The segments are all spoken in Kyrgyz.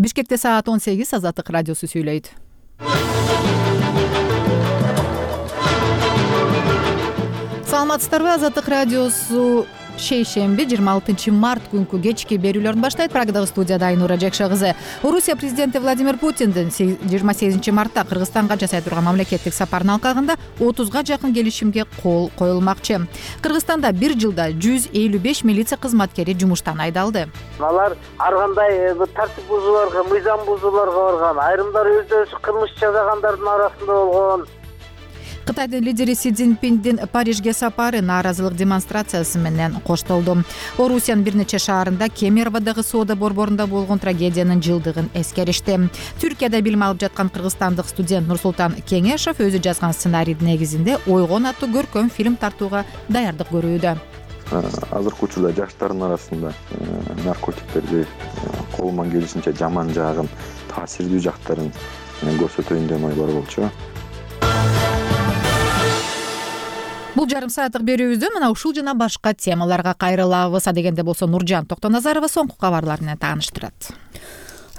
Бишкекте саат 18, Азаттык радиосу сүйлөйт. Саламатсыздарбы? Азаттык радиосу шейшемби 26 март күнкү кечки берүүлөрүн баштайт. Прагадагы студияда Айнура Жекше кызы. Орусия президенти Владимир Путиндин 28 мартта Кыргызстанга жасай турган мамлекеттик сапарынын алкагында 30га жакын келишимге кол коюлмакчы. Кыргызстанда бир жылда 155 милиция кызматкери жумуштан айдалды. Алар ар кандай тартип бузууларга, мыйзам бузууларга барган, айрымдары өздөрү кылмыш жасагандардын арасында болгон. Кытайдын лидери Си Цзиньпиндин Парижге сапары нааразылык демонстрациясы менен коштолду. Орусиянын бир нече шаарында Кемероводогу соода борборунда болгон трагедиянын жылдыгын эскеришти. Түркияда билим алып жаткан кыргызстандык студент Нурсултан Кеңешов өзү жазган сценарийдин негизинде Ойгон аттуу көркөм фильм тартууга даярдык көрүүдө. Азыркы учурда жаштардын арасында наркотиктерди колуман келишинче жаман жагын, таасирдүү жактарын көрсөтөйүн деген ой бар болчу. Бул жарым сааттык берүүбүздө мына ушул жана башка темаларга кайрылабыз. Адегенде болсо Нуржан Токтоназарова соңку кабарлар менен тааныштырат.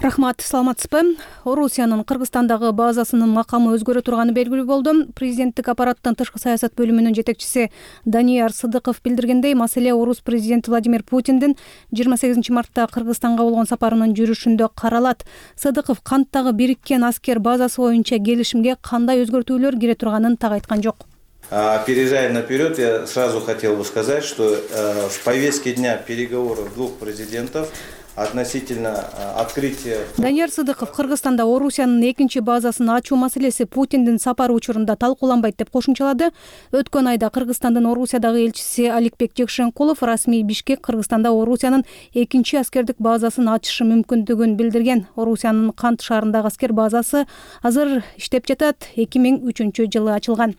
Рахмат, саламатсызбы? Орусиянын Кыргызстандагы базасынын макамы өзгөрө турганы белгилүү болду. Президенттик аппараттын тышкы саясат бөлүмүнүн жетекчиси Данияр Сыдыков билдиргендей, маселе орус президенти Владимир Путиндин 28 мартта Кыргызстанга болгон сапарынын жүрүшүндө каралат. Сыдыков канттагы бириккен аскер базасы боюнча келишимге кандай өзгөртүүлөр кире турганын так айткан жок. Опережая наперед, я сразу хотел бы сказать, что в повестке дня переговоров двух президентов относительно открытия... Данияр Сыдыков Кыргызстанда Орусиянын экинчи базасын ачуу маселеси Путиндин сапары учурунда талкууланбайт деп кошумчалады. Өткөн айда Кыргызстандын Орусиядагы элчиси Аликбек Жекшенкулов расмий Бишкек Кыргызстанда Орусиянын экинчи аскердик базасын ачышы мүмкүндүгүн билдирген. Орусиянын Кант шаарындагы аскер базасы азыр иштеп жатат, 2003-жылы ачылган.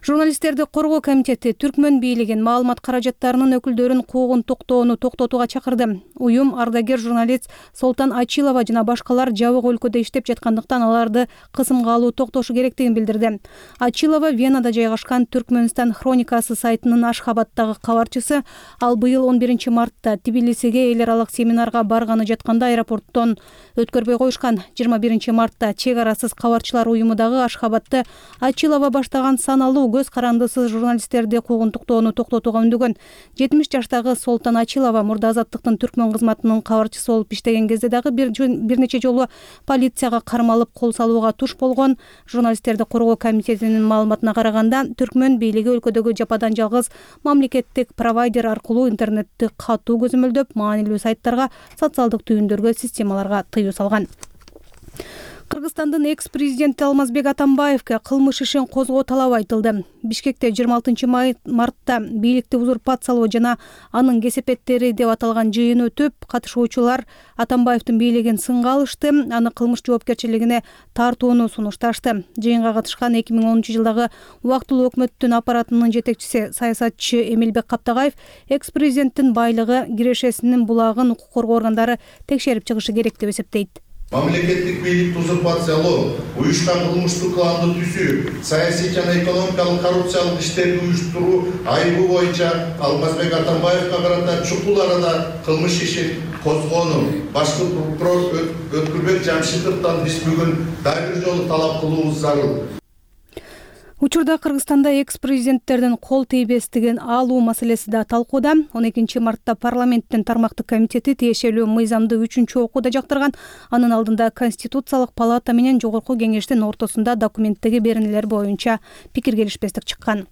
Журналисттерди коргоо комитети Түркмөн бийлигин маалымат каражаттарынын өкүлдөрүн куугун токтотууга чакырды. Уюм ардагер журналист Солтан Ачилова жана башкалар жабык өлкөдө иштеп жаткандыктан аларды кысымга алуу токтошу керектигин билдирди. Ачилова Венада жайгашкан Түркмөнстан хроникасы сайтынын Ашхабадтагы кабарчысы. Ал быйыл 11 мартта Тбилисиге эл аралык семинарга барганы жатканда аэропорттон өткөрбөй коюшкан. 21 мартта чек арасыз кабарчылар уюму дагы Ашхабадты Ачилова баштаган саналуу көз карандысыз журналисттерди куугунтуктоону токтотууга үндөгөн. 70 жаштагы Солтан Ачилова мурда Азаттыктын Түркмөн кызматынын кабарчысы болуп иштеген кезде дагы бир нече жолу полицияга кармалып кол салууга туш болгон. Журналисттерди коргоо комитетинин маалыматына караганда, Түркмөн бийлиги өлкөдөгү жападан жалгыз мамлекеттик провайдер аркылуу интернетти катуу көзөмөлдөп, маанилүү сайттарга, социалдык түйүндөргө, системаларга тыюу салган. Кыргызстандын экс-президенти Алмазбек Атамбаевге кылмыш ишин козгоо талабы айтылды. Бишкекте 26 мартта бийликти узурпациялоо жана анын кесепеттери деп аталган жыйын өтүп, катышуучулар Атамбаевдин бийлигин сынга алышты, аны кылмыш жоопкерчилигине тартууну сунушташты. Жыйынга катышкан 2010-жылдагы убактылуу өкмөттүн аппаратынын жетекчиси саясатчы Эмилбек Каптагаев экс-президенттин байлыгы, кирешесинин булагын укук коргоо органдары текшерип чыгышы керек деп эсептейт. Мамлекеттик бийликти узурпациялоо, уюшкан кылмыштуу кылымды түзүү, саясий жана экономикалык коррупциялык иштерди уюштуруу айыбы боюнча Алмазбек Атамбаевга карата чукул арада кылмыш ишин козгоону башкы прокурор Өткүрбек Жамшитовдон биз бүгүн дагы бир жолу талап кылуубуз зарыл. Учурда Кыргызстанда экс-президенттердин кол тийбестигин алуу маселеси да талкууда. 12 мартта парламенттин тармактык комитети тиешелүү мыйзамды 3-окууда жактырган. Анын алдында Конституциялык палата менен Жогорку кеңештин ортосунда документтеги беренелер боюнча пикир келишпестик чыккан.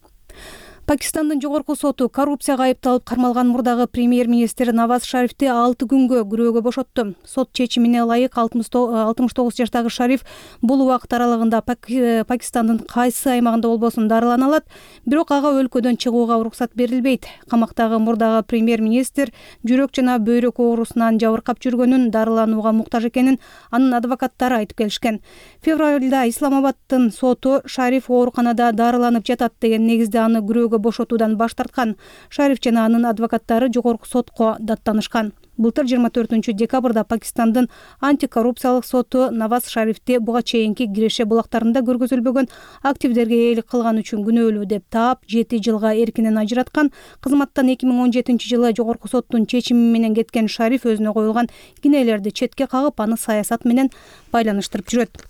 Пакистандын жогорку соту коррупцияга айыпталып кармалган мурдагы премьер-министр Наваз Шарифти 6 күнгө күрөөгө бошотту. Сот чечимине ылайык 69 жаштагы Шариф бул убакыт аралыгында Пакистандын кайсы аймагында болбосун дарылана алат, бирок ага өлкөдөн чыгууга уруксат берилбейт. Камактагы мурдагы премьер-министр жүрөк жана бөйрөк оорусунан жабыркап жүргөнүн, дарыланууга муктаж экенин анын адвокаттары айтып келишкен. Февралда Исламабаддын соту Шариф ооруканада дарыланып жатат деген негизде аны күрөөгө бошотуудан баш тарткан. Шариф жана анын адвокаттары жогорку сотко даттанышкан. Былтыр 24 декабрда Пакистандын антикоррупциялык соту Наваз Шарифти буга чейинки Киреше булактарында көргөзүлбөгөн активдерге ээлик кылган үчүн күнөөлүү деп таап 7 жылга эркинен ажыраткан. Кызматтан 2017 жылы жогорку соттун чечими менен кеткен Шариф өзүнө коюлган кинелерди четке кагып, аны саясат менен байланыштырып жүрөт.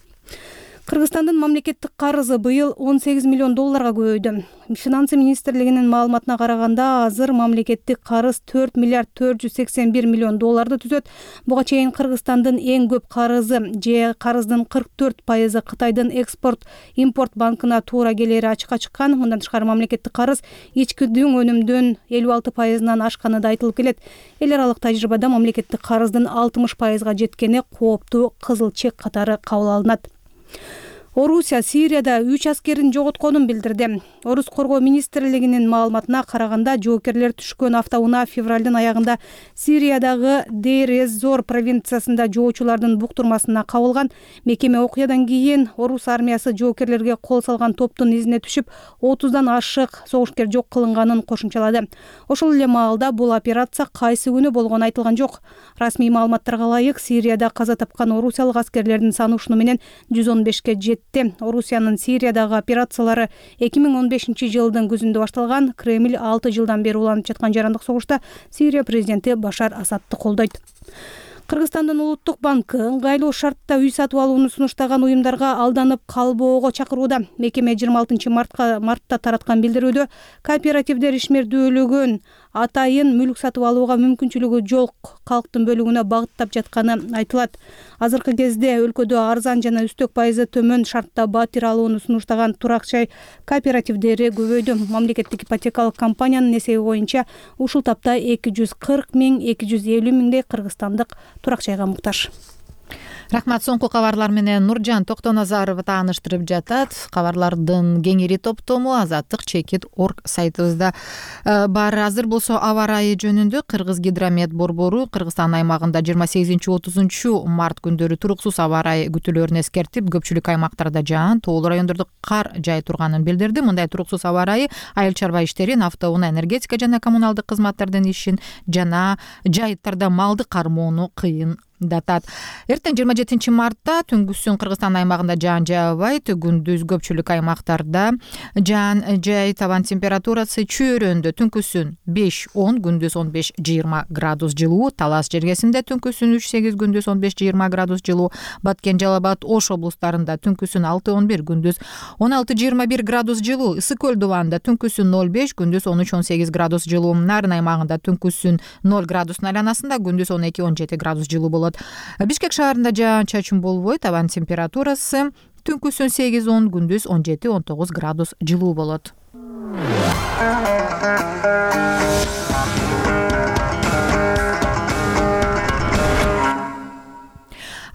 Кыргызстандын мамлекеттик карызы быйыл 18 миллион долларга көбөйдү. Финансы министрлигинин маалыматына караганда, азыр мамлекеттик карыз 4 миллиард 481 миллион долларды түзөт. Буга чейин Кыргызстандын эң көп карызы же карыздын 44% Кытайдын экспорт-импорт банкына туура келери ачыкка чыккан. Мындан тышкары мамлекеттик карыз ичкидүү өнүмдүн 56%-нан ашканы да айтылып келет. Эл аралык тажрыйбада мамлекеттик карыздын 60%-га жеткени кооптуу кызыл чек катары кабыл алынат. Орусия Сирияда 3 аскерин жоготконун билдирди. Орус коргоо министрлигинин маалыматына караганда, жоокерлер түшкөн автоунаа февралдын аягында Сириядагы Дейр-эз-Зор провинциясында жоочулардын буктурмасына кабылган. Мекеме окуядан кийин орус армиясы жоокерлерге кол салган топтун изине түшүп, 30дан ашык согушкер жок кылынганын кошумчалады. Ошол эле маалда бул операция кайсы күнү болгону айтылган жок. Расмий маалыматтарга ылайык, Сирияда каза тапкан орусиялык аскерлердин саны ушуну менен 115ке жетти. Орусиянын Сириядагы операциялары 2015 жылдын күзүндө башталган. Кремль 6 жылдан бери уланып жаткан жарандык согушта Сирия президенти Башар Асадты колдойт. Кыргызстандын улуттук банкы ыңгайлуу шартта үй сатып алууну сунуштаган уюмдарга алданып калбоого чакырууда. Мекеме 26 мартта тараткан билдирүүдө кооперативдер ишмердүүлүгүн атайын мүлк сатып алууга мүмкүнчүлүгү жок калктын бөлүгүнө багыттап жатканы айтылат. Азыркы кезде өлкөдө арзан жана үстөк пайызы төмөн шартта батир алууну сунуштаган турак жай кооперативдери көбөйдү. Мамлекеттик ипотекалык компаниянын эсеби боюнча ушул тапта 240 миң 250 миңдей кыргызстандык турак жайга муктаж. Рахмат. Соңку кабарлар менен Нуржан Токтоназарова тааныштырып жатат. Кабарлардын кеңири топтому azattik.org сайтыбызда бар. Азыр болсо аба ырайы жөнүндө Кыргызгидромет борбору Кыргызстан аймагында 28-30 март күндөрү туруксуз аба ырайы күтүлөрүн эскертип, көпчүлүк аймактарда жаан, тоолуу райондордо кар жай турганын билдирди. Мындай туруксуз аба ырайы айыл чарба иштерин, автоунаа, энергетика жана коммуналдык кызматтардын ишин жана жайыттарда малды кармоону кыйын датат. Эртең 27 мартта түнгүсүн Кыргызстан аймагында жаан жаабайт. Күндүз көпчүлүк аймактарда жаан жай, табан температурасы чөйрөндө түнкүсүн 5-10, күндүз 15-20 градус жылуу. Талас жергесинде түнкүсүн 3-8, күндүз 15-20 градус жылуу. Баткен, Жалал Абад, Ош облустарында түнкүсүн 6-11, күндүз 16-21 градус жылуу. Ысык көл дубанында түнкүсүн 0-5, күндүз 13-18 градус жылуу. Нарын аймагында түнкүсүн 0 градустун айланасында, күндүз 12-17 градус жылуу болот. Бишкек шаарында жаан-чачын болбойт. Табан температурасы түнкүсүн 8-10, күндүз 17-19 градус жылуу болот.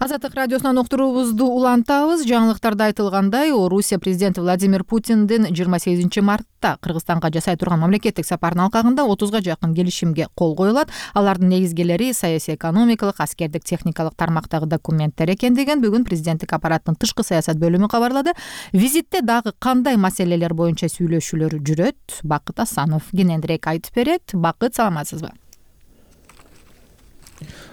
Азаттык радиосунан уктуруубузду улантабыз. Жаңылыктарда айтылгандай, Орусия президенти Владимир Путиндин 28 мартта Кыргызстанга жасай турган мамлекеттик сапарынын алкагында 30га жакын келишимге кол коюлат. Алардын негизгилери саясий, экономикалык, аскердик, техникалык тармактагы документтер экендигин бүгүн президенттик аппараттын тышкы саясат бөлүмү кабарлады. Визитте дагы кандай маселелер боюнча сүйлөшүүлөр жүрөт? Бакыт Асанов кененирээк айтып берет. Бакыт, саламатсызбы?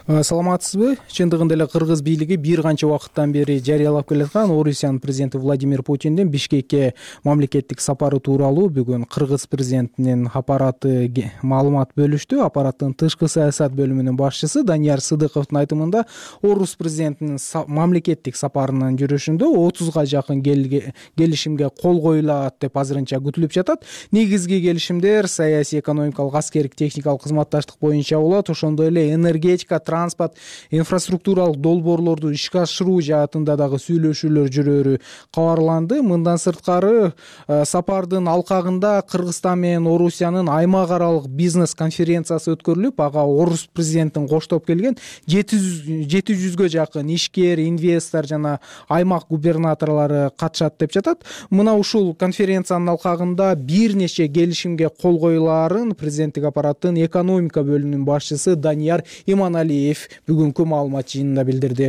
Саламатсызбы? Чындыгында эле кыргыз бийлиги бир канча убакыттан бери жарыялап келаткан Орусиянын президенти Владимир Путиндин Бишкекке мамлекеттик сапары тууралуу бүгүн кыргыз президентинин аппараты маалымат бөлүштү. Аппараттын тышкы саясат бөлүмүнүн башчысы Данияр Сыдыковдун айтымында, орус президентинин мамлекеттик сапарынын жүрүшүндө 30га жакын келишимге кол коюлат деп азырынча күтүлүп жатат. Негизги келишимдер саясий, экономикалык, аскердик, техникалык кызматташтык боюнча болот. Ошондой эле энергетика, транспорт, инфраструктуралык долбоорлорду ишке ашыруу жаатында дагы сүйлөшүүлөр жүрөрү кабарланды. Мындан сырткары сапардын алкагында Кыргызстан менен Орусиянын аймак аралык бизнес конференциясы өткөрүлүп, ага орус президентин коштоп келген 700ге жакын ишкер, инвестор жана аймак губернаторлору катышат деп жатат. Мына ушул конференциянын алкагында бир нече келишимге кол коюлаарын президенттик аппараттын экономика бөлүмүнүн башчысы Данияр Иманалиев бүгүнкү маалымат жыйынында билдирди.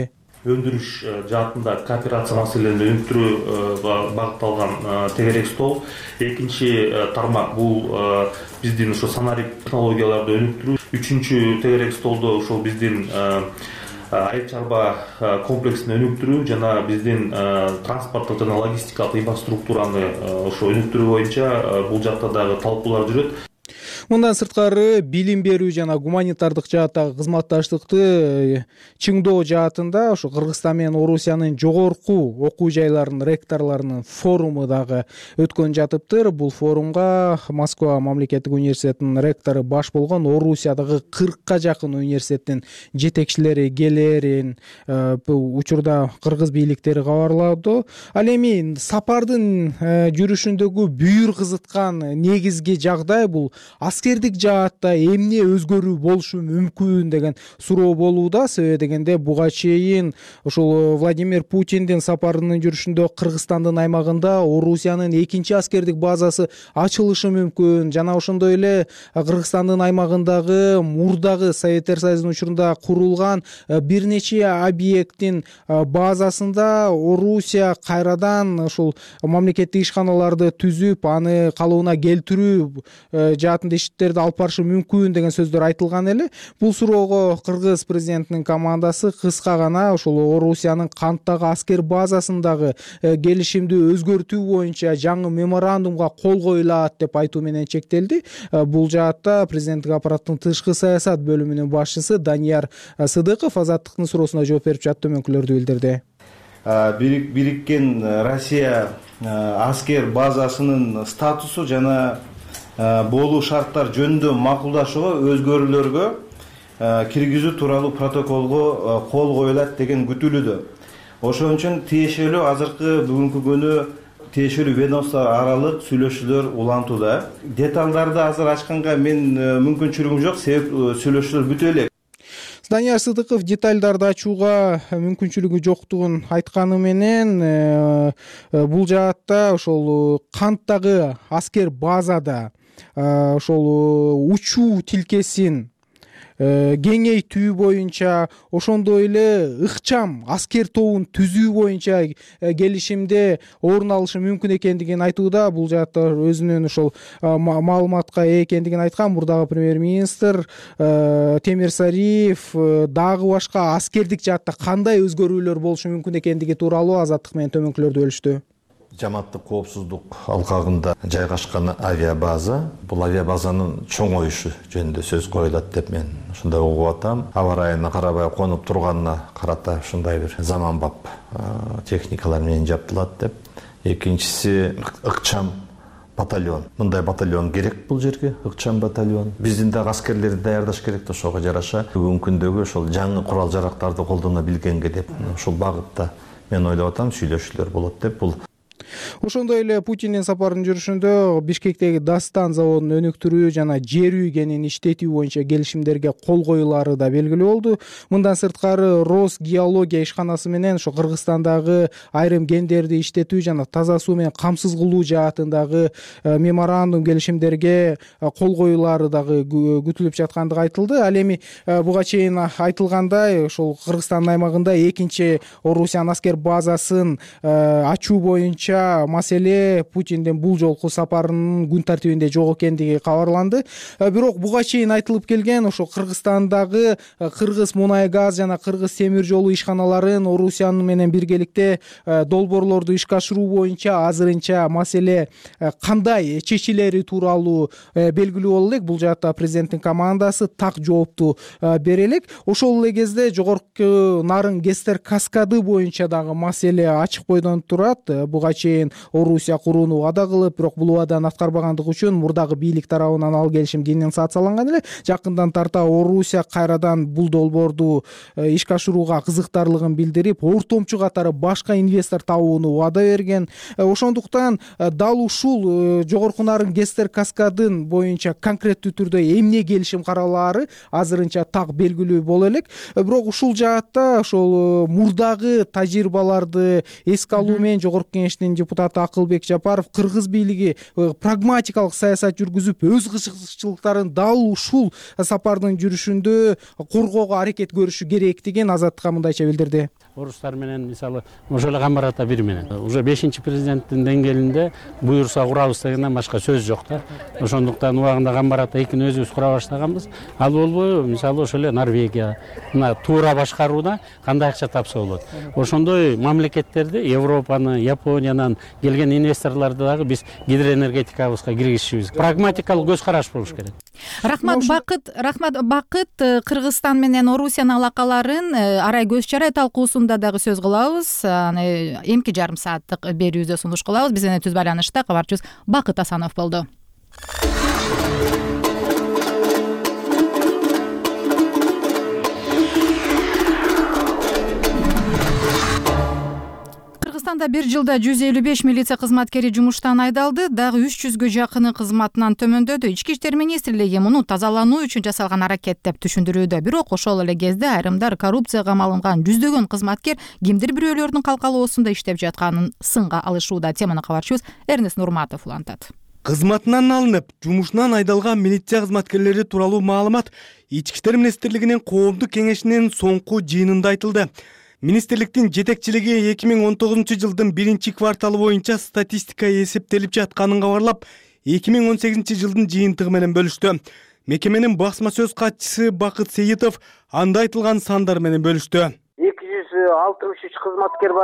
Өндүрүш жаатында кооперация маселелерин өнүктүрүүгө багытталган тегерек стол. Экинчи тармак бул биздин ошо санарик технологияларды өнүктүрүү. үчүнчү тегерек столдо ушул биздин айыл чарба комплексин өнүктүрүү жана биздин транспорттук жана логистикалык инфраструктураны ошо өнүктүрүү боюнча бул жакта дагы талкуулар жүрөт. Мындан сырткары билим берүү жана гуманитардык жааттагы кызматташтыкты чыңдоо жаатында ошо Кыргызстан менен Орусиянын жогорку окуу жайларынын ректорлорунун форуму дагы өткөн жатыптыр. Бул форумга Москва мамлекеттик университетинин ректору баш болгон Орусиядагы 40ка жакын университеттин жетекчилери келерин учурда кыргыз бийликтери кабарлады. Ал эми сапардын жүрүшүндөгү бүйүр кызыткан негизги жагдай бул аскердик жаатта эмне өзгөрүү болушу мүмкүн деген суроо болууда. Себеби дегенде буга чейин ушул Владимир Путиндин сапарынын жүрүшүндө Кыргызстандын аймагында Орусиянын экинчи аскердик базасы ачылышы мүмкүн. Жана ошондой эле Кыргызстандын аймагындагы мурдагы Советтер Союзунун учурунда курулган бир нече объекттин базасында Орусия кайрадан ушул мамлекеттик ишканаларды түзүп, аны калыбына келтирүү жаатында иштерди алып барышы мүмкүн деген сөздөр айтылган эле. Бул суроого Кыргыз президентинин командасы кыска гана ошол Орусиянын Канттагы аскер базасындагы келишимди өзгөртүү боюнча жаңы меморандумга кол коюлат деп айтуу менен чектелди. Бул жаатта президенттик аппараттын тышкы саясат бөлүмүнүн башчысы Данияр Сыдыков Азаттыктын суроосуна жооп берип жатып төмөнкүлөрдү билдирди. Бириккен Россия аскер базасынын статусу жана болуу шарттар жөнүндө макулдашууга өзгөрүүлөргө киргизүү тууралуу протоколго кол коюлат деген күтүлүүдө. Ошон үчүн тиешелүү азыркы бүгүнкү күнү тиешелүү ведомство аралык сүйлөшүүлөр улантууда. Деталдарды азыр ачканга мен мүмкүнчүлүгүм жок, себеп сүйлөшүүлөр бүтө элек. Данияр Сыдыков деталдарды ачууга мүмкүнчүлүгү жоктугун айтканы менен бул жаатта ошол Канттагы аскер базада ошол учуу тилкесин кеңейтүү боюнча, ошондой эле ыкчам аскер тобун түзүү боюнча келишимде орун алышы мүмкүн экендигин айтууда. Бул жаатта өзүнүн ошол маалыматка ээ экендигин айткан мурдагы премьер-министр Темир Сариев дагы башка аскердик жаатта кандай өзгөрүүлөр болушу мүмкүн экендиги тууралуу Азаттык менен төмөнкүлөрдү бөлүштү. Жаматтык коопсуздук алкагында жайгашкан авиабаза, бул авиабазанын чоңоюшу жөнүндө сөз коюлат деп мен ушундай угуп атам. Аба ырайына карабай конуп турганына карата ушундай бир заманбап техникалар менен жабдылат деп. Экинчиси ыкчам батальон. Мындай батальон керек бул жерге, ыкчам батальон. Биздин да аскерлерди даярдаш керек да, ошого жараша бүгүнкү күндөгү ошол жаңы курал жарактарды колдоно билгенге деп ушул багытта мен ойлоп атам сүйлөшүүлөр болот деп. Бул Ошондой эле Путиндин сапарынын жүрүшүндө Бишкектеги Дастан заводун өнүктүрүү жана жер үйгенин иштетүү боюнча келишимдерге кол коюлары да белгилүү болду. Мындан сырткары Росгеология ишканасы менен ошо Кыргызстандагы айрым кендерди иштетүү жана таза суу менен камсыз кылуу жаатындагы меморандум келишимдерге кол коюлары дагы күтүлүп жаткандыгы айтылды. Ал эми буга чейин айтылгандай ошол Кыргызстандын аймагында экинчи Орусиянын аскер базасын ачуу боюнча маселе Путиндин бул жолку сапарынын күн тартибинде жок экендиги кабарланды. Бирок буга чейин айтылып келген ошо Кыргызстандагы Кыргыз мунай газ жана Кыргыз темир жолу ишканаларын Орусия менен биргеликте долбоорлорду ишке ашыруу боюнча азырынча маселе кандай чечилери тууралуу белгилүү боло элек. Бул жаатта президенттин командасы так жоопту бере элек. Ошол эле кезде жогорку нарын Гестер каскады боюнча дагы маселе ачык бойдон турат. Буга чейин Орусия курууну убада кылып, бирок бул убаданы аткарбагандыгы үчүн мурдагы бийлик тарабынан ал келишим денонсацияланган эле. Жакындан тарта Орусия кайрадан бул долбоорду ишке ашырууга кызыктарлыгын билдирип, ортомчу катары башка инвестор табууну убада берген. Ошондуктан дал ушул жогорку нарын Гестер каскадын боюнча конкреттүү түрдө эмне келишим каралаары азырынча так белгилүү боло элек. Бирок ушул жаатта ошол мурдагы тажрыйбаларды эске алуу менен жогорку кеңештин партиянын депутаты Акылбек Жапаров кыргыз бийлиги прагматикалык саясат жүргүзүп, өз кызыкчылыктарын дал ушул сапардын жүрүшүндө коргоого аракет көрүшү керектигин Азаттыкка мындайча билдирди. Орустар менен мисалы ошол эле Гамбарата бир менен уже 5-чи президенттин деңгээлинде буюрса курабыз дегенден башка сөз жок да. Ошондуктан убагында Гамбарата 2-ни өзүбүз кура баштаганбыз. Ал болбойбу мисалы ошол эле Норвегия мына туура башкарууда кандай акча тапса болот. Ошондой мамлекеттерди, Европаны, Япониянан келген инвесторлорду дагы биз гидроэнергетикабызга киргизишибиз. Прагматикалык көз караш болуш керек. Рахмат Бакыт. Кыргызстан менен Орусиянын алакаларын арай көз чарай талкуусунда дагы сөз кылабыз. Эмки жарым сааттык берүүбүздө сунуш кылабыз. Биз менен түз байланышта кабарчыбыз Бакыт Асанов болду. Кыргызстанда бир жылда 155 милиция кызматкери жумуштан айдалды, дагы 300гө жакыны кызматынан төмөндөдү. Ички иштер министрлиги муну тазалануу үчүн жасалган аракет деп түшүндүрүүдө. Бирок ошол эле кезде айрымдар коррупцияга малынган жүздөгөн кызматкер кимдир бирөөлөрдүн калкалоосунда иштеп жатканын сынга алышууда. Теманы кабарчыбыз Эрнест Нурматов улантат. Кызматынан алынып, жумушунан айдалган милиция кызматкерлери тууралуу маалымат Ички иштер министрлигинин коомдук кеңешинин соңку жыйынында айтылды. Министрликтин жетекчилиги 2019 жылдын 1-кварталы боюнча статистика эсептелип жатканын кабарлап, 2018 жылдын жыйынтыгы менен бөлүштү. Мекеменин басма сөз катчысы Бакыт Сейитов анда айтылган сандар менен бөлүштү. 263 кызматкер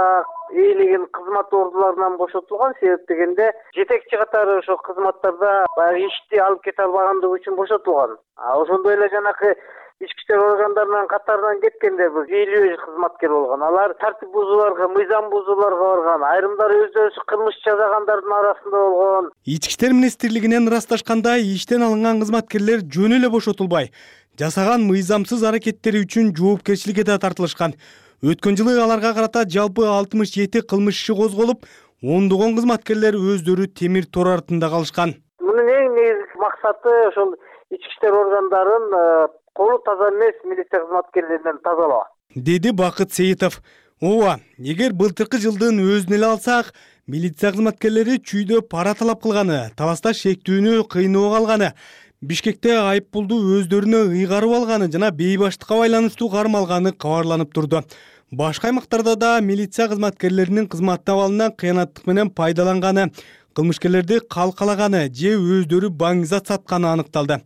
ээлеген кызмат ордуларынан бошотулган. Себеп дегенде жетекчи катары ошо кызматтарда ишти алып кете албагандыгы үчүн бошотулган. Ошондой эле жанакы ички иштер органдарынын катарынан кеткенде 50 кызматкер болгон. Алар тартип бузууларга, мыйзам бузууларга барган. Айрымдары өздөрү кылмыш жазагандардын арасында болгон. Ички иштер министрлигинен ырасташкандай, иштен алынган кызматкерлер жөн эле бошотулбай, жасаган мыйзамсыз аракеттери үчүн жоопкерчиликке да тартылышкан. Өткөн жылы аларга карата жалпы 67 кылмыш иши козголуп, ондогон кызматкерлер өздөрү темир тор артында калышкан. Мунун эң негизги максаты ошол ички иштер органдарын колу таза эмес милиция кызматкерлеринен тазалоо, деди Бакыт Сейитов. Ооба, эгер былтыркы жылдын өзүн эле алсак, милиция кызматкерлери чүйдө пара талап кылганы, табаста шектүүнү кыйноого алганы, Бишкекте айыппулду өздөрүнө ыйгарып алганы жана бейбаштыкка байланыштуу кармалганы кабарланып турду. Башка аймактарда да милиция кызматкерлеринин кызмат абалынан кыянаттык менен пайдаланганы, кылмышкерлерди калкалаганы же өздөрү баңгизат сатканы аныкталды.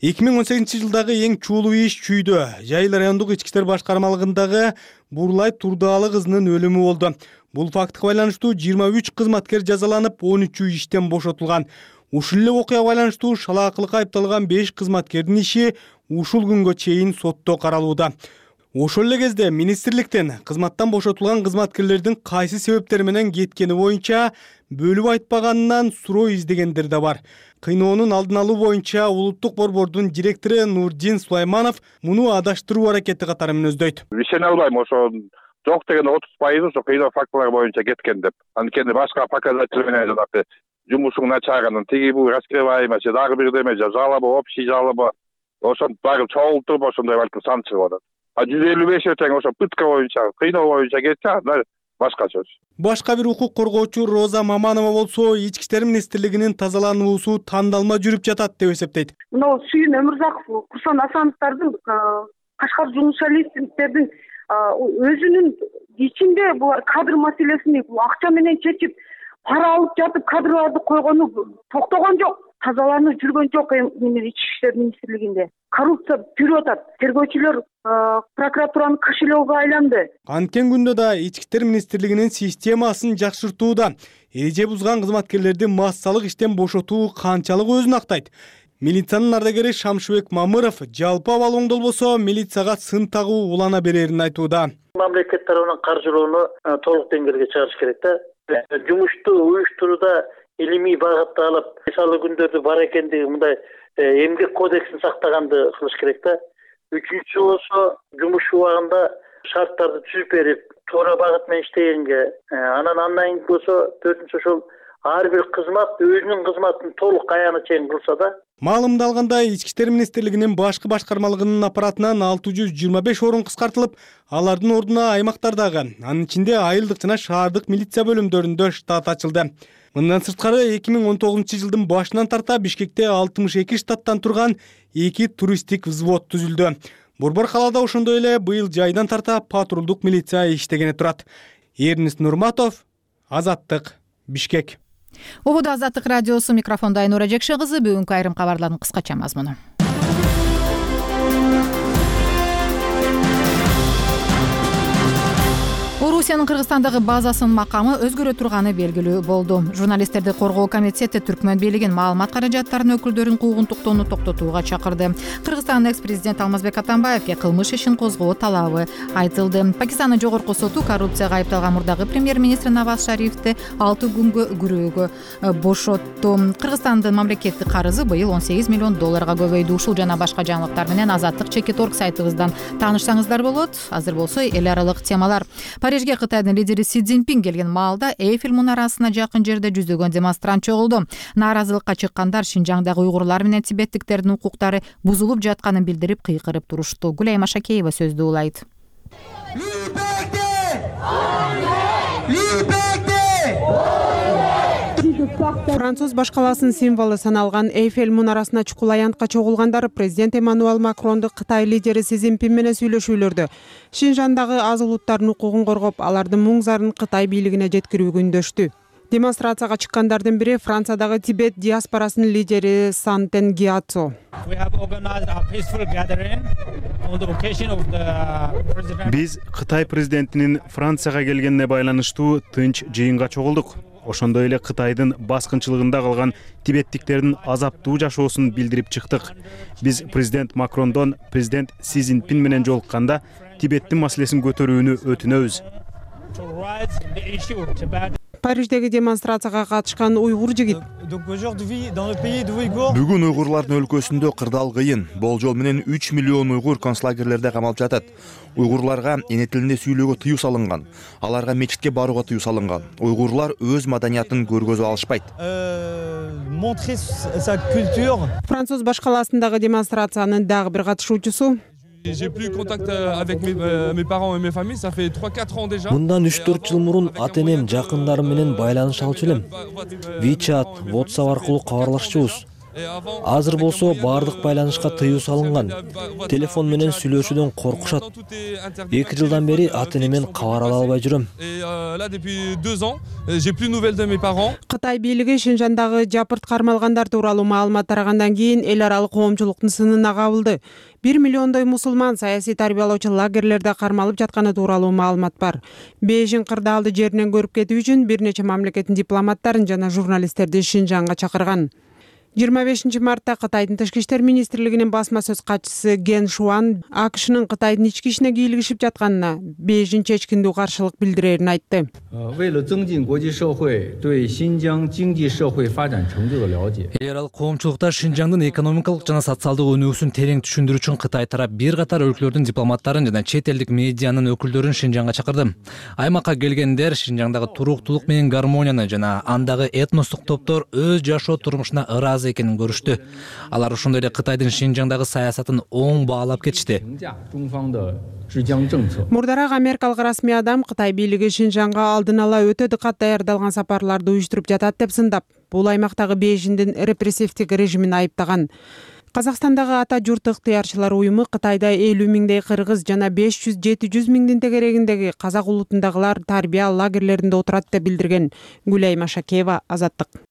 2018 жылдагы эң чуулуу иш чүйдө Жайыл райондук ички иштер башкармалыгындагы Бурлай Турдаалы кызынын өлүмү болду. Бул фактка байланыштуу 23 кызматкер жазаланып, 13 иштен бошотулган. Ушул эле окуяга байланыштуу шалаакылыкка айыпталган 5 кызматкердин иши ушул күнгө чейин сотто каралууда. Ошол эле кезде министрликтен кызматтан бошотулган кызматкерлердин кайсы себептер менен кеткени боюнча бөлүп айтпаганынан суроо издегендер да бар. Кыйноонун алдын алуу боюнча улуттук борбордун директору Нурдин Сулайманов муну адаштыруу аракети катары мүнөздөйт. Ишене албайм, ошо жок деген 30% ошо кыйноо фактылары боюнча кеткен деп. Анткени башка показатель менен жанагы жумушуң начарганын тиги бул раскрываемый же дагы бирдеме же жалоба, общий жалоба ошонтип баары чогултуп ошондой балким сан чыгып атат. 155 тең ошо пытка боюнча, кыйноо боюнча кетсе, анда башка сөз. Башка бир укук коргоочу Роза Маманова болсо, ички иштер министрлигинин тазалануусу тандалма жүрүп жатат деп эсептейт. Мына Сүйүн Өмүрзаков, Курсан Асановдордун, Кашкар журналисттердин өзүнүн ичинде булар кадр маселесин акча менен чечип, пара алып жатып кадрларды койгону токтогон жок, тазаланып жүргөн жок ички иштер министрлигинде. Коррупция жүрүп атат. Тергөөчүлөр прокуратуранын кошелегине айланды. Анткен күндө да ички иштер министрлигинин системасын жакшыртууда эреже бузган кызматкерлерди массалык иштен бошотуу канчалык өзүн актайт. Милициянын ардагери Шамшыбек Мамыров жалпы абал оңдолбосо милицияга сын тагуу улана берерин айтууда. Мамлекет тарабынан каржылоону толук деңгээлге чыгарыш керек да. Жумушту уюштурууда илимий багытта алып, мисалы күндөрдү бар экендиги мындай эмгек кодексин сактаганды кылыш керек да. Үчүнчү болсо жумуш убагында шарттарды түзүп берип, туура багыт менен иштегенге, андан кийин болсо төртүнчү ошол ар бир кызмат өзүнүн кызматын толук аягына чейин кылса да, Маалымда алгандай, Ички иштер министрлигинин башкы башкармалыгынын аппаратынан 625 орун кыскартылып, алардын ордуна аймактардагы, анын ичинде айылдык жана шаардык милиция бөлүмдөрүндө штат ачылды. Мындан сырткары 2019-жылдын башынан тарта Бишкекте 62 штаттан турган 2 туристтик взвод түзүлдү. Борбор калаада ошондой эле быйыл жайдан тарта патрулдук милиция иштегени турат. Эрнест Нурматов, Азаттык, Бишкек. Убуда Азаттык радиосу, микрофонда Айнура Жекше кызы. Бүгүнкү айрым кабарлардын кыскача мазмуну. Орусиянын Кыргызстандагы базасынын макамы өзгөрө турганы белгилүү болду. Журналисттерди коргоо комитети Түркмөн бийлигин маалымат каражаттарынын өкүлдөрүнүн куугунтуктоону токтотууга чакырды. Кыргызстандын экс-президенти Алмазбек Атамбаевге кылмыш ишин козгоо талабы айтылды. Пакистандын жогорку соту коррупцияга айыпталган мурдагы премьер-министр Наваз Шарифти 6 күнгө күрөөгө бошотту. Кыргызстандын мамлекеттик карызы быйыл $18 миллион көбөйдү. Ушул жана башка жаңылыктар менен Азаттык.org сайтыбыздан таанышсаңыздар болот. Азыр болсо эл аралык темалар. Парижге Кытайдын лидери Си Цзиньпин келген маалда Эйфель мунарасына жакын жерде жүздөгөн демонстрант чогулду. Нааразылыкка чыккандар Шинжаңдагы уйгурлар менен тибеттиктердин укуктары бузулуп жатканын билдирип кыйкырып турушту. Гүлайма Шакеева сөздү улайт. Француз башкаласынын символу саналган Эйфель мунарасына чукул аянтка чогулгандар президент Эммануэль Макронду Кытай лидери Си Цзиньпин менен сүйлөшүүлөрдө Шинжаңдагы аз улуттардын укугун коргоп, алардын muң зарын Кытай бийлигине жеткирүүгө үндөштү. Демонстрацияга чыккандардын бири Франциядагы Тибет диаспорасынын лидери Сантен Гиацо. Биз Кытай президентинин Францияга келгенине байланыштуу тынч жыйынга чогулдук. Ошондой эле Кытайдын баскынчылыгында калган тибеттиктердин азаптуу жашоосун билдирип чыктык. Биз президент Макрондон президент Си Цзиньпин менен жолукканда Тибеттин маселесин көтөрүүнү өтүнөбүз. Париждеги демонстрацияга катышкан уйгур жигит. Бүгүн уйгурлардын өлкөсүндө кырдаал кыйын. Болжол менен 3 миллион уйгур концлагерлерде камалып жатат. Уйгурларга эне тилинде сүйлөөгө тыюу салынган. Аларга мечитке барууга тыюу салынган. Уйгурлар өз маданиятын көргөзүп алышпайт. Француз башкаласындагы демонстрациянын дагы бир катышуучусу J'ai plus contact avec mes parents et mes familles, ça fait 3-4 ans déjà. Мындан 3-4 жыл мурун ата-энем, жакындарым менен байланыш алчу элем. WeChat, WhatsApp аркылуу кабарлашчубуз. Азыр болсо баардык байланышка тыюу салынган. Телефон менен сүйлөшүүдөн коркушат. 2 жылдан бери ата-энемден кабар ала албай жүрөм. Кытай бийлиги Шинжаңдагы жапырт кармалгандар тууралуу маалымат тарагандан кийин эл аралык коомчулуктун сынына кабылды. 1 миллиондой мусулман саясий тарбиялоочу лагерлерде кармалып жатканы тууралуу маалымат бар. Бейжиң кырдаалды жеринен көрүп кетүү үчүн бир нече мамлекеттин дипломаттарын жана журналисттерди Шинжаңга чакырган. 25 мартта Кытайдын Тышкы иштер министрлигинин басма сөз катчысы Ген Шуан АКШнын Кытайдын ички ишине кийлигишип жатканына Бейжиң чечкиндүү каршылык билдирерин айтты. Эл аралык коомчулукта Шинжаңдын экономикалык жана социалдык өнүгүүсүн терең түшүндүрүү үчүн Кытай тарап бир катар өлкөлөрдүн дипломаттарын жана чет элдик медианын өкүлдөрүн Шинжаңга чакырды. Аймакка келгендер Шинжаңдагы туруктулук менен гармонияны жана андагы этностук топтор өз жашоо турмушуна ыраазы экенин көрүштү. Алар ошондой эле Кытайдын Шинжаңдагы саясатын оң баалап кетишти. Мурдараак америкалык расмий адам Кытай бийлиги Шинжаңга алдын ала өтө дыкат даярдалган сапарларды уюштуруп жатат деп сындап, бул аймактагы Бейжиңдин репрессивдик режимин айыптаган. Казакстандагы ата журт ыктыярчылар уюму Кытайда 50 миңдей кыргыз жана 500-700 миңдин тегерегиндеги казак улутундагылар тарбия лагерлеринде отурат деп билдирген. Гүлайма Шакеева, Азаттык.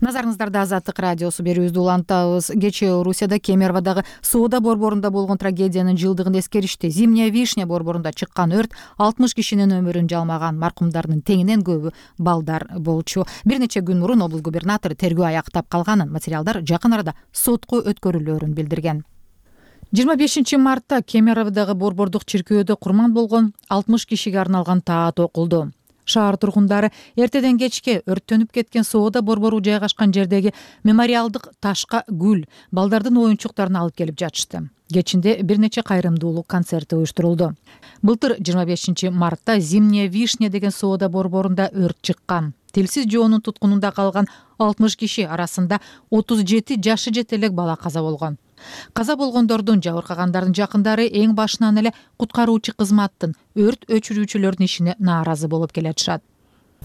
Назарыңыздарда Азаттык радиосу берүүбүздү улантабыз. Кечээ Орусияда Кемеровдагы соода борборунда болгон трагедиянын жылдыгын эскеришти. Зимняя вишня борборунда чыккан өрт 60 кишинин өмүрүн жалмаган. Маркумдардын теңинен көбү балдар болчу. Бир нече күн мурун облус губернатору тергөө аяктап калганын, материалдар жакын арада сотко өткөрүлөөрүн билдирген. 25 мартта Кемеровдагы борбордук чиркөөдө курман болгон 60 кишиге арналган таат окулду. Шаар тургундары эртеден кечке өрттөнүп кеткен соода борбору жайгашкан жердеги мемориалдык ташка гүл, балдардын оюнчуктарын алып келип жатышты. Кечинде бир нече кайрымдуулук концерти уюштурулду. Былтыр 25 мартта Зимняя вишня деген соода борборунда өрт чыккан. Тилсиз жоонун туткунунда калган 60 киши арасында 37 жашы жете элек бала каза болгон. Каза болгондордун, жабыркагандардын жакындары эң башынан эле куткаруучу кызматтын, өрт өчүрүүчүлөрдүн ишине нааразы болуп келатышат.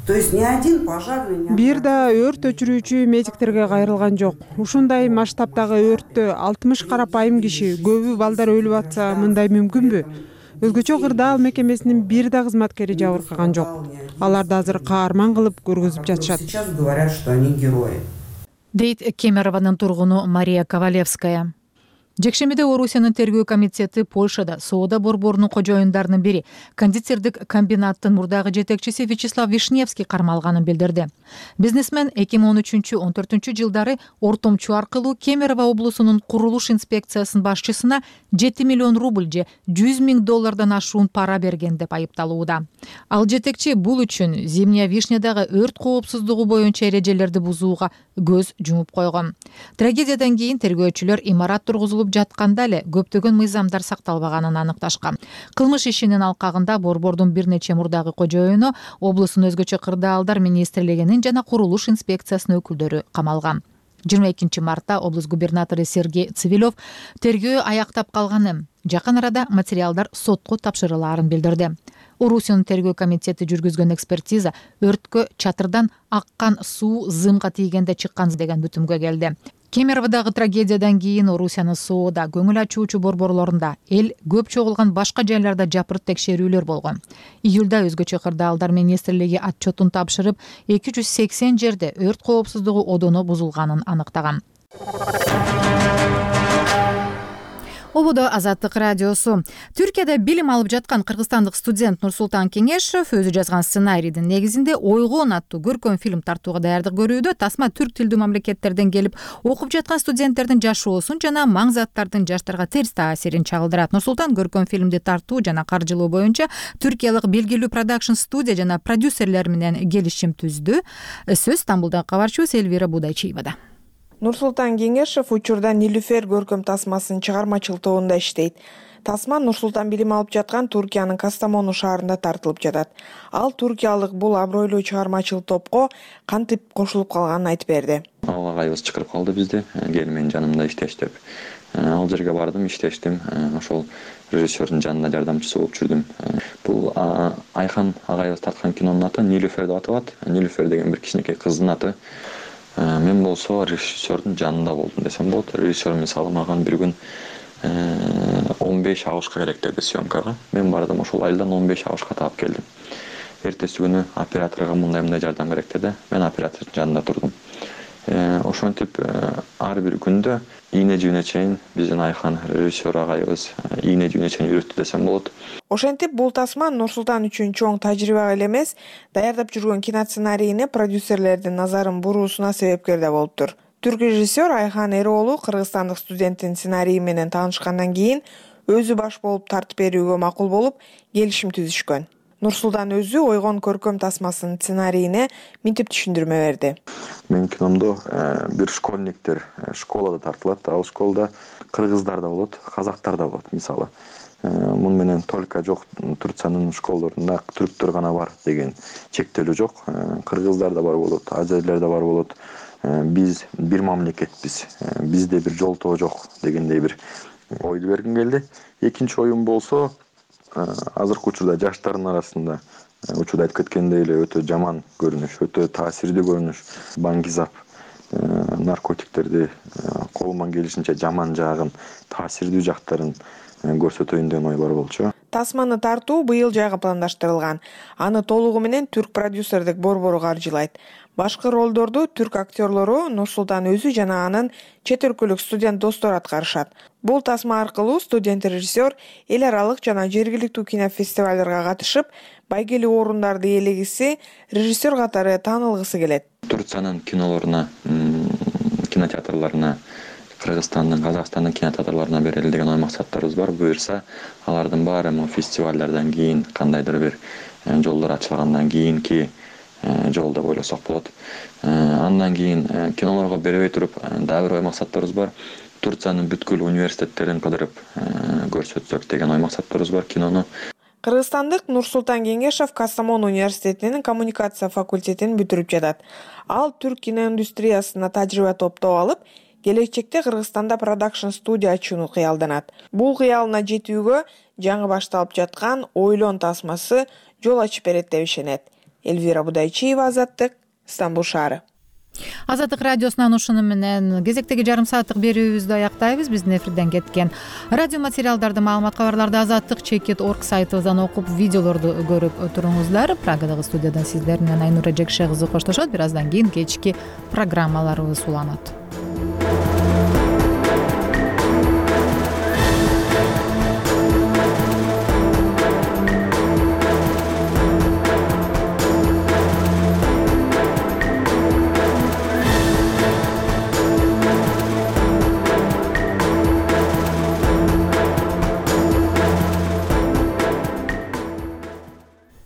Бир да өрт өчүрүүчү медиктерге кайрылган жок. Ушундай масштабдагы өрттө 60 карапайым киши, көбү балдар өлүп атса, мындай мүмкүнбү? Өзгөчө кырдаал мекемесинин бир да кызматкери жабыркаган жок. Аларды азыр каарман кылып көргөзүп жатышат. Дейт Кемерованын тургуну Мария Ковалевская. Жекшембиде Орусиянын тергөө комитети Польшада соода борборунун кожоюндарынын бири, кондитердик комбинаттын мурдагы жетекчиси Вячеслав Вишневский кармалганын билдирди. Бизнесмен 2013-14 жылдары ортомчу аркылуу Кемерово облусунун курулуш инспекциясынын башчысына 7 миллион рубль же $100,000 ашуун пара берген деп айыпталууда. Ал жетекчи бул үчүн Зимняя Вишнядагы өрт коопсуздугу боюнча эрежелерди бузууга көз жумуп койгон. Трагедиядан кийин тергөөчүлөр имарат тургузулуп жатканда эле көптөгөн мыйзамдар сакталбаганын аныкташкан. Кылмыш ишинин алкагында борбордун бир нече мурдагы кожоюну, облустун өзгөчө кырдаалдар министрлигинин жана курулуш инспекциясынын өкүлдөрү камалган. 22 мартта облус губернатору Сергей Цивилев тергөө аяктап калганын, жакын арада материалдар сотко тапшырылаарын билдирди. Орусиянын тергөө комитети жүргүзгөн экспертиза өрткө чатырдан аккан суу зымга тийгенде чыккан деген бүтүмгө келди. Кемеровдагы трагедиядан кийин Орусиянын соода, көңүл ачуучу борборлорунда, эл көп чогулган башка жайларда жапырт текшерүүлөр болгон. Июлда өзгөчө кырдаалдар министрлиги отчетун тапшырып, 280 жерде өрт коопсуздугу одону бузулганын аныктаган. Ободо Азаттык радиосу. Түркияда билим алып жаткан кыргызстандык студент Нурсултан Кеңешев өзү жазган сценарийдин негизинде Ойгон аттуу көркөм фильм тартууга даярдык көрүүдө. Тасма түрк тилдүү мамлекеттерден келип окуп жаткан студенттердин жашоосун жана маң заттардын жаштарга терс таасирин чагылдырат. Нурсултан көркөм фильмди тартуу жана каржылоо боюнча түркиялык белгилүү продакшн студия жана продюсерлер менен келишим түздү. Сөз Стамбулдан кабарчыбыз Элвира Будайчиевада. Нурсултан Кеңешев учурда Нилүфер көркөм тасмасынын чыгармачылык тобунда иштейт. Тасма Нурсултан билим алып жаткан Туркиянын Кастамону шаарында тартылып жатат. Ал туркиялык бул абройлуу чыгармачыл топко кантип кошулуп калганын айтып берди. Агайыбыз чакырып калды бизди, кел менин жанымда иштеш деп. Ал жерге бардым, иштештим. Ошол режиссердун жанында жардамчысы болуп жүрдүм. Бул Айхан агайыбыз тарткан кинонун аты Нилүфер деп аталат. Нилүфер деген бир кичинекей кыздын аты. Мен болсо режиссердун жанында болдум десем болот. Режиссер мисалы маган бир күн 15 авышка керек деди съемкага. Мен бардым, ошол айылдан 15 авышка таап келдим. Эртеси күнү операторго мындай жардам керек деди. Мен оператордун жанында турдум. Ошентип ар бир күндө ийне жүүнө чейин биздин Айхан режиссер агайыбыз ийне жүүнө чейин үйрөттү десем болот. Ошентип бул тасма Нурсултан үчүн чоң тажрыйба эле эмес, даярдап жүргөн киносценарийине продюсерлердин назарын буруусуна себепкер да болуптур. Түрк режиссер Айхан Эроолу кыргызстандык студенттин сценарийи менен таанышкандан кийин өзү баш болуп тартып берүүгө макул болуп, келишим түзүшкөн. Нурсултан өзү Ойгон көркөм тасмасынын сценарийине мынтип түшүндүрмө берди. Менин киномдо бир школьниктер школада тартылат. Ал школда кыргыздар да болот, казактар да болот мисалы. Муну менен только жок Турциянын школдорунда түрктөр гана бар деген чектелүү жок. Кыргыздар да бар болот, азерлер да бар болот. Биз бир мамлекетпиз. Бизде бир жолтоо жок дегендей бир ойду бергим келди. Экинчи оюм болсо, азыркы учурда жаштардын арасында учурда айтып кеткендей эле өтө жаман көрүнүш, өтө таасирдүү көрүнүш, баңгизап, наркотиктерди колуман келишинче жаман жагын, таасирдүү жактарын көрсөтөйүн деген ой бар болчу. Тасманы тартуу быйыл жайга пландаштырылган. Аны толугу менен түрк продюсердик борбору каржылайт. Башкы ролдорду түрк актерлору Нурсултан өзү жана анын чет өлкөлүк студент достору аткарышат. Бул тасма аркылуу студент режиссер эл аралык жана жергиликтүү кинофестивалдарга катышып, байгелүү орундарды ээлегиси, режиссер катары таанылгысы келет. Турциянын кинолоруна, кинотеатрларына, Кыргызстандын, Казакстандын кинотеатрларына берели деген ой максаттарыбыз бар. Буюрса, алардын баары фестивалдардан кийин, кандайдыр бир жолдор ачылгандан кийинки жол деп ойлосок болот. Андан кийин кинолорго бербей туруп, дагы бир ой максаттарыбыз бар. Турциянын бүткүл университеттерин кыдырып көрсөтсөк деген ой максаттарыбыз бар кинону. Кыргызстандык Нурсултан Кеңешев Кастамон университетинин коммуникация факультетин бүтүрүп жатат. Ал түрк киноиндустриясына тажрыйба топтоп алып, келечекте Кыргызстанда продакшн студия ачууну кыялданат. Бул кыялына жетүүгө жаңы башталып жаткан Ойлон тасмасы жол ачып берет деп ишенет. Элвира Будайчиева, Азаттык, Стамбул шаары. Азаттык радиосунан ушуну менен кезектеги жарым сааттык берүүбүздү аяктайбыз. Биздин эфирден кеткен радио материалдарды, маалымат кабарларды azattik.org сайтыбыздан окуп, видеолорду көрүп туруңуздар. Прагадагы студиядан сиздер менен Айнура Жекше кызы коштошот. Бир аздан кийин кечки программаларыбыз уланат.